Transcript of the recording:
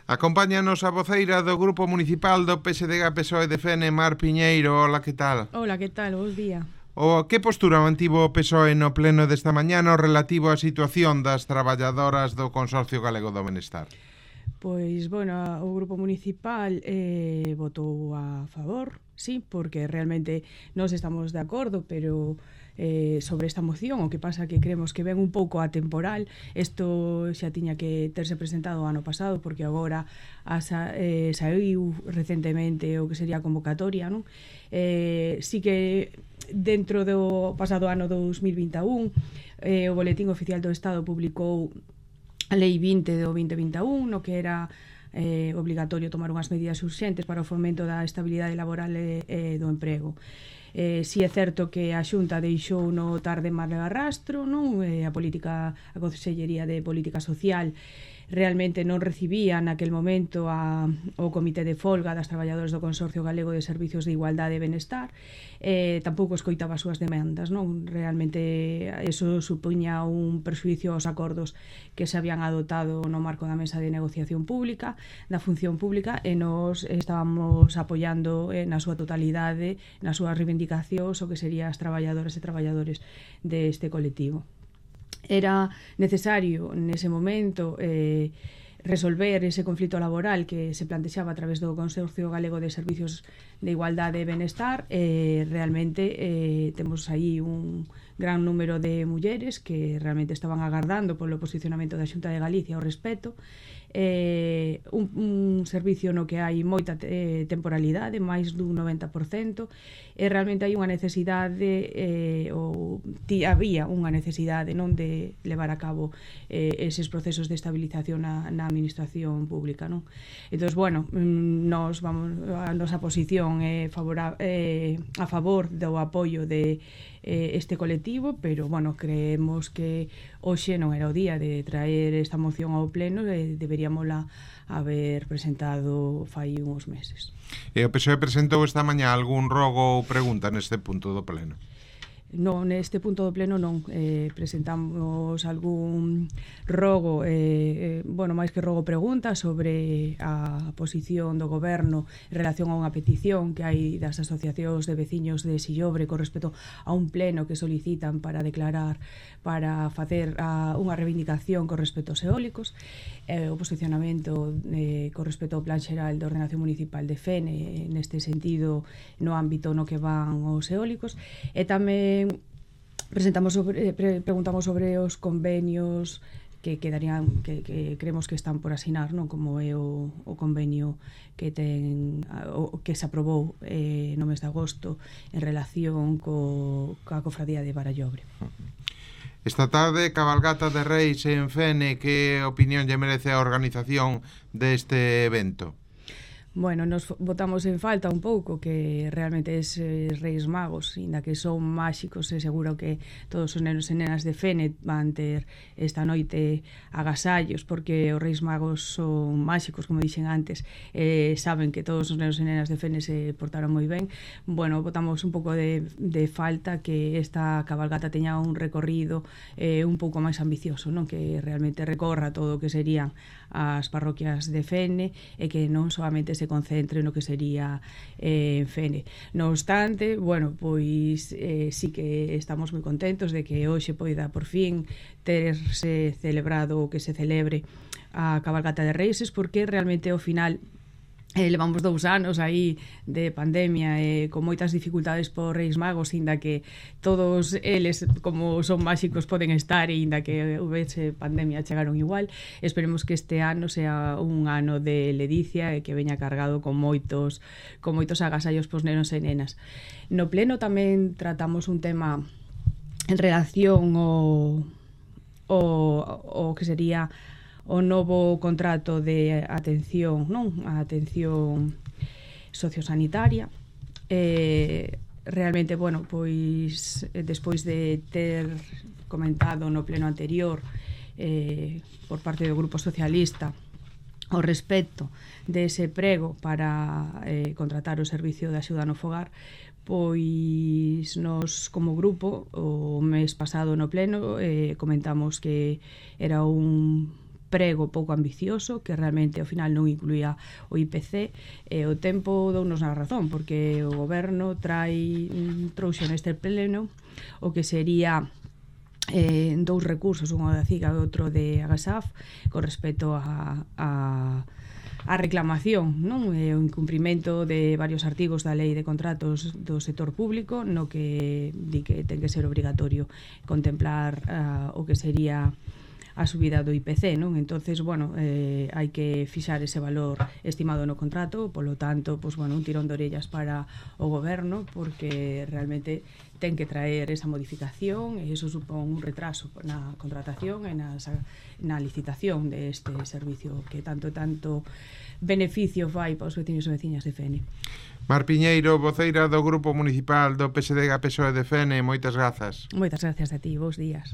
Acompáñanos a voceira do Grupo Municipal do PSDG-PSOE de Fene, Mar Piñeiro. Hola, que tal? Hola, que tal? Bos día. Que postura mantivo o PSOE no pleno desta mañá no relativo á situación das traballadoras do Consorcio Galego do Benestar? Pois, bueno, o Grupo Municipal votou a favor, sí, porque realmente nós estamos de acordo, pero sobre esta moción, o que pasa que creemos que ven un pouco atemporal. Isto xa tiña que terse presentado o ano pasado, porque agora saiu recentemente o que sería a convocatoria, non? Sí que dentro do pasado ano 2021 o Boletín Oficial do Estado publicou a Lei 20 do 2021, no que era obligatorio tomar unhas medidas urxentes para o fomento da estabilidade laboral e do emprego. Si é certo que a Xunta deixou no tarde mar de arrastro, non? A Consellería de Política Social realmente non recibía naquel momento o Comité de Folga das traballadoras do Consorcio Galego de Servicios de Igualdade e Benestar, tampouco escoitaba as súas demandas, non? Realmente eso supuña un perxuicio aos acordos que se habían adoptado no marco da mesa de negociación pública, da función pública, e nos estábamos apoiando na súa totalidade, nas súas reivindicacións, o que serían as traballadoras e traballadores deste colectivo. Era necesario nese momento resolver ese conflito laboral que se plantexaba a través do Consorcio Galego de Servicios de Igualdade e Benestar. Realmente temos aí un gran número de mulleres que realmente estaban agardando polo posicionamento da Xunta de Galicia ao respecto. Un servicio no que hai moita temporalidade, máis dun 90%, e realmente hai unha necesidade había unha necesidade, non, de levar a cabo eses procesos de estabilización na administración pública, non? Entón, bueno, a nosa posición é a favor do apoio de este colectivo, pero, bueno, creemos que hoxe non era o día de traer esta moción ao pleno e deberíamola haber presentado fai uns meses. E o PSOE presentou esta mañá algún rogo ou pregunta neste punto do pleno? Non, neste punto do pleno non presentamos algún rogo, máis que rogo pregunta sobre a posición do goberno en relación a unha petición que hai das asociacións de veciños de Sillobre con respecto a un pleno que solicitan para declarar, para facer unha reivindicación con respecto aos eólicos, o posicionamento con respecto ao Plan Xeral de Ordenación Municipal de Fene neste sentido no ámbito no que van os eólicos, e tamén preguntamos sobre os convenios que quedarían, que creemos que están por asinar, non? Como é o convenio que se aprobou no mes de agosto en relación coa cofradía de Barallobre. Esta tarde, cabalgata de Reis en Fene, que opinión lle merece a organización deste evento? Bueno, nos botamos en falta un pouco que realmente eses Reis Magos, inda que son máxicos, e seguro que todos os nenos e nenas de Fene van ter esta noite agasallos, porque os Reis Magos son máxicos, como dixen antes, saben que todos os nenos e nenas de Fene se portaron moi ben. Bueno, botamos un pouco de falta que esta cabalgata teña un recorrido un pouco máis ambicioso, non? Que realmente recorra todo o que serían as parroquias de Fene e que non solamente se concentre no que sería Fene. No obstante, bueno, pois sí que estamos moi contentos de que hoxe poida por fin terse celebrado o que se celebre a cabalgata de Reis, porque realmente ao final levamos 2 anos aí de pandemia e con moitas dificultades por Reis Magos, inda que todos eles, como son máxicos, poden estar, e inda que houvese pandemia chegaron igual. Esperemos que este ano sea un ano de ledicia e que veña cargado con moitos agasallos pos nenos e nenas. No pleno tamén tratamos un tema en relación ao que sería o novo contrato de atención, non? A atención sociosanitaria. Realmente, bueno, pois despois de ter comentado no pleno anterior por parte do Grupo Socialista ao respecto dese prego para contratar o servicio de axuda no fogar, pois nos como grupo o mes pasado no pleno comentamos que era un prego pouco ambicioso que realmente ao final non incluía o IPC, e o tempo dounos na razón, porque o goberno trouxo neste pleno o que sería dous recursos, un da CIGA e outro de Agasaf, con respecto a reclamación, non? O incumprimento de varios artigos da Lei de Contratos do sector público, no que di que ten que ser obrigatorio contemplar o que sería a subida do IPC, non? Entonces, bueno, hai que fixar ese valor estimado no contrato, polo tanto, pues, bueno, un tirón de orellas para o goberno, porque realmente ten que traer esa modificación e iso supón un retraso na contratación e na licitación deste servicio que tanto beneficio fai para os veciños e veciñas de Fene. Mar Piñeiro, voceira do Grupo Municipal do PSDG PSOE de Fene, moitas grazas. Moitas gracias a ti, bons días.